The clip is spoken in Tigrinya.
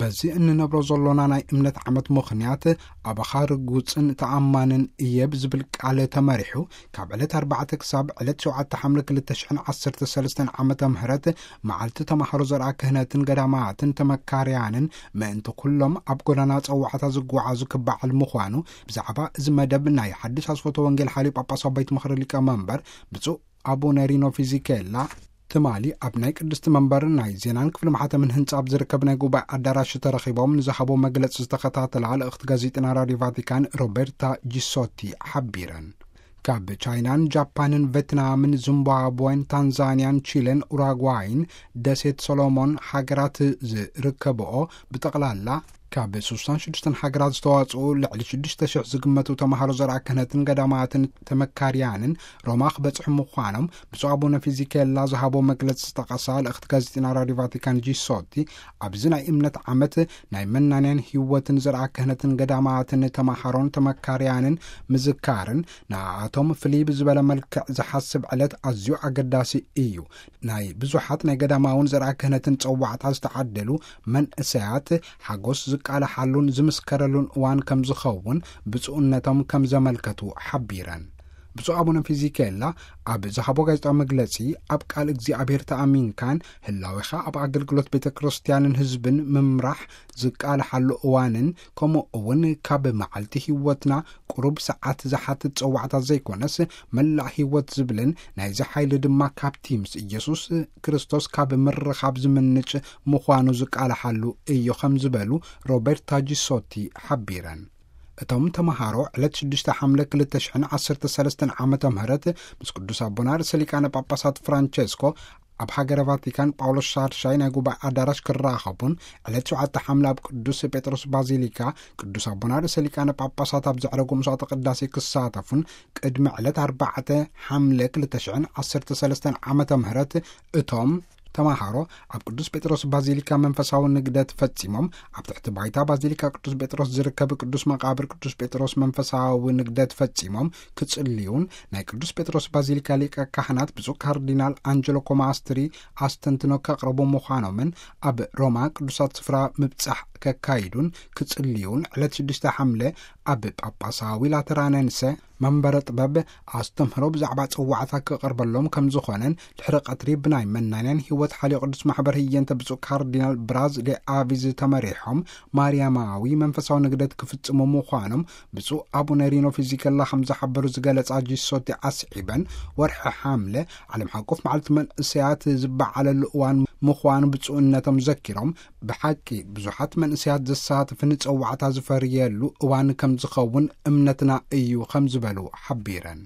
በዚ እንነብሮ ዘሎና ናይ እምነት ዓመት ምኽንያት፣ ኣባኻ ርጉጽን ተኣማንን እየ ብዝብል ቃል ተመሪሑ፣ ካብ ዕለት ኣርባዕተ ክሳብ ዕለት ሸውዓተ ሓምለ ክልተ ሽሕን ዓሰርተ ሰለስተን ዓመተ ምህረት፣ መዓልቲ ተማሃሮ ዘርኣ ክህነትን ገዳማትን ተመካርያንን ምእንቲ ኩሎም ኣብ ጎዳና ጸዋዕታ ዝጓዓዙ ክበዓል ምዃኑ፣ ብዛዕባ እዚ መደብ ናይ ሓድሽ ኣስፈቶ ወንጌል ሓልዮ ጳጳሳዊ ቤት ምኽሪ ሊቀ መንበር ብፁዕ ኣቡነ ሪኖ ፊዚኬላ፣ ትማሊ ኣብ ናይ ቅድስቲ መንበር ናይ ዜናን ክፍሊ ማሕተምን ህንጻ ኣብ ዝርከብ ናይ ጉባኤ ኣዳራሽ ተረኺቦም ንዝሃቦ መግለጺ ዝተኸታተላ ልእኽቲ ጋዜጠና ራድዮ ቫቲካን ሮቤርታ ጂሶቲ ሓቢረን። ካብ ቻይናን ጃፓንን ቬትናምን ዚምባብወን ታንዛንያን ቺለን ኡራጓይን ደሴት ሶሎሞን ሃገራት ዝርከብኦ ብጠቕላላ ካብ ስሳን ሽዱሽተን ሃገራት ዝተዋጽኡ ልዕሊ ሽዱሽተ ሽሕ ዝግመቱ ተማሃሮ ዘርኣ ክህነትን ገዳማትን ተመካርያንን ሮማ ክበጽሑ ምዃኖም ብፁዕ ኣቡነ ፊዚኬላ ዝሃቦ መግለጺ ዝጠቐሳ ልእኽቲ ጋዜጠና ራድዮ ቫቲካን ጂሶቲ፣ ኣብዚ ናይ እምነት ዓመት ናይ መናንያን ህይወትን ዘርኣ ክህነትን ገዳማትን ተማሃሮን ተመካርያንን ምዝካርን ንኣቶም ፍልይ ብዝበለ መልክዕ ዝሓስብ ዕለት ኣዝዩ ኣገዳሲ እዩ። ናይ ብዙሓት ናይ ገዳማውን ዘርኣ ክህነትን ጸዋዕታ ዝተዓደሉ መንእሰያት ሓጎስ ዝቃላሓሉን ዝምስከረሉን እዋን ከም ዝኸውን ብፁዕነቶም ከም ዘመልከቱ ሓቢረን። ብፁዕ ኣቡነ ፊዚኬላ ኣብ ዝሃቦ ጋዜጣዊ መግለጺ፣ ኣብ ቃል እግዚኣብሔር ተኣሚንካን ህላዌኻ ኣብ ኣገልግሎት ቤተ ክርስቲያንን ህዝብን ምምራሕ ዝቃላሓሉ እዋንን፣ ከምኡ እውን ካብ መዓልቲ ህይወትና ቁሩብ ሰዓት ዝሓትት ጸዋዕታ ዘይኮነስ፣ መላእ ህይወት ዝብልን ናይዚ ሓይሊ ድማ ካብቲ ምስ ኢየሱስ ክርስቶስ ካብ ምርኻብ ዝምንጭ ምዃኑ ዝቃላሓሉ እዩ ከም ዝበሉ ሮቤርታ ጂሶቲ ሓቢረን። እቶም ተምሃሮ ዕለት ሽዱሽተ ሓምለ ክልተ ሽሕን ዓሰርተ ሰለስተን ዓመተ ምህረት ምስ ቅዱስ ኣቦና ርእሰ ሊቃነ ጳጳሳት ፍራንቸስኮ ኣብ ሃገረ ቫቲካን ጳውሎስ ሻድሻይ ናይ ጉባኤ ኣዳራሽ ክራኸቡን፣ ዕለት ሸውዓተ ሓምለ ኣብ ቅዱስ ጴጥሮስ ባዚሊካ ቅዱስ ኣቦና ርእሰ ሊቃነ ጳጳሳት ኣብ ዘዕረጉ መስዋዕተ ቅዳሴ ክሳተፉን፣ ቅድሚ ዕለት ኣርባዕተ ሓምለ ክልተ ሽሕን ዓሰርተ ሰለስተን ዓመተ ምህረት እቶም ተማሃሮ ኣብ ቅዱስ ጴጥሮስ ባዚሊካ መንፈሳዊ ንግደት ፈጺሞም፣ ኣብ ትሕቲ ባይታ ባዚሊካ ቅዱስ ጴጥሮስ ዝርከብ ቅዱስ መቃብር ቅዱስ ጴጥሮስ መንፈሳዊ ንግደት ፈጺሞም ክጽልዩን፣ ናይ ቅዱስ ጴጥሮስ ባዚሊካ ሊቀ ካህናት ብፁዕ ካርዲናል ኣንጀሎ ኮማስትሪ ኣስተንትኖ ከቕርቡ ምዃኖምን፣ ኣብ ሮማ ቅዱሳት ስፍራ ምብጻሕ ከካይዱን ክጽልዩን፣ ዕለት ሽዱሽተ ሓምለ ኣብ ጳጳሳዊ ላተራነንሰ መንበረ ጥበብ ኣስተምህሮ ብዛዕባ ጽዋዕታ ክቐርበሎም ከም ዝኾነን፣ ድሕሪ ቀትሪ ብናይ መናንያን ህይወት ሓልዮ ቅዱስ ማሕበር ህየንተ ብፁዕ ካርዲናል ብራዝ ዴ ኣቪዝ ተመሪሖም ማርያማዊ መንፈሳዊ ንግደት ክፍጽሙ ምዃኖም ብፁዕ ኣቡነ ሪኖ ፊዚከላ ከም ዝሓበሩ ዝገለጻ ጂሶቲ ኣስዒበን፣ ወርሒ ሓምለ ዓለም ሓቆፍ መዓልቲ መንእሰያት ዝበዓለሉ እዋን ምዃኑ ብፁዕነቶም ዘኪሮም፣ ብሓቂ ብዙሓት መንእሰያት ዘሳትፍ ንጸዋዕታ ዝፈርየሉ እዋን ከም ዝኸውን እምነትና እዩ ከም ዝበሉ ሓቢረን።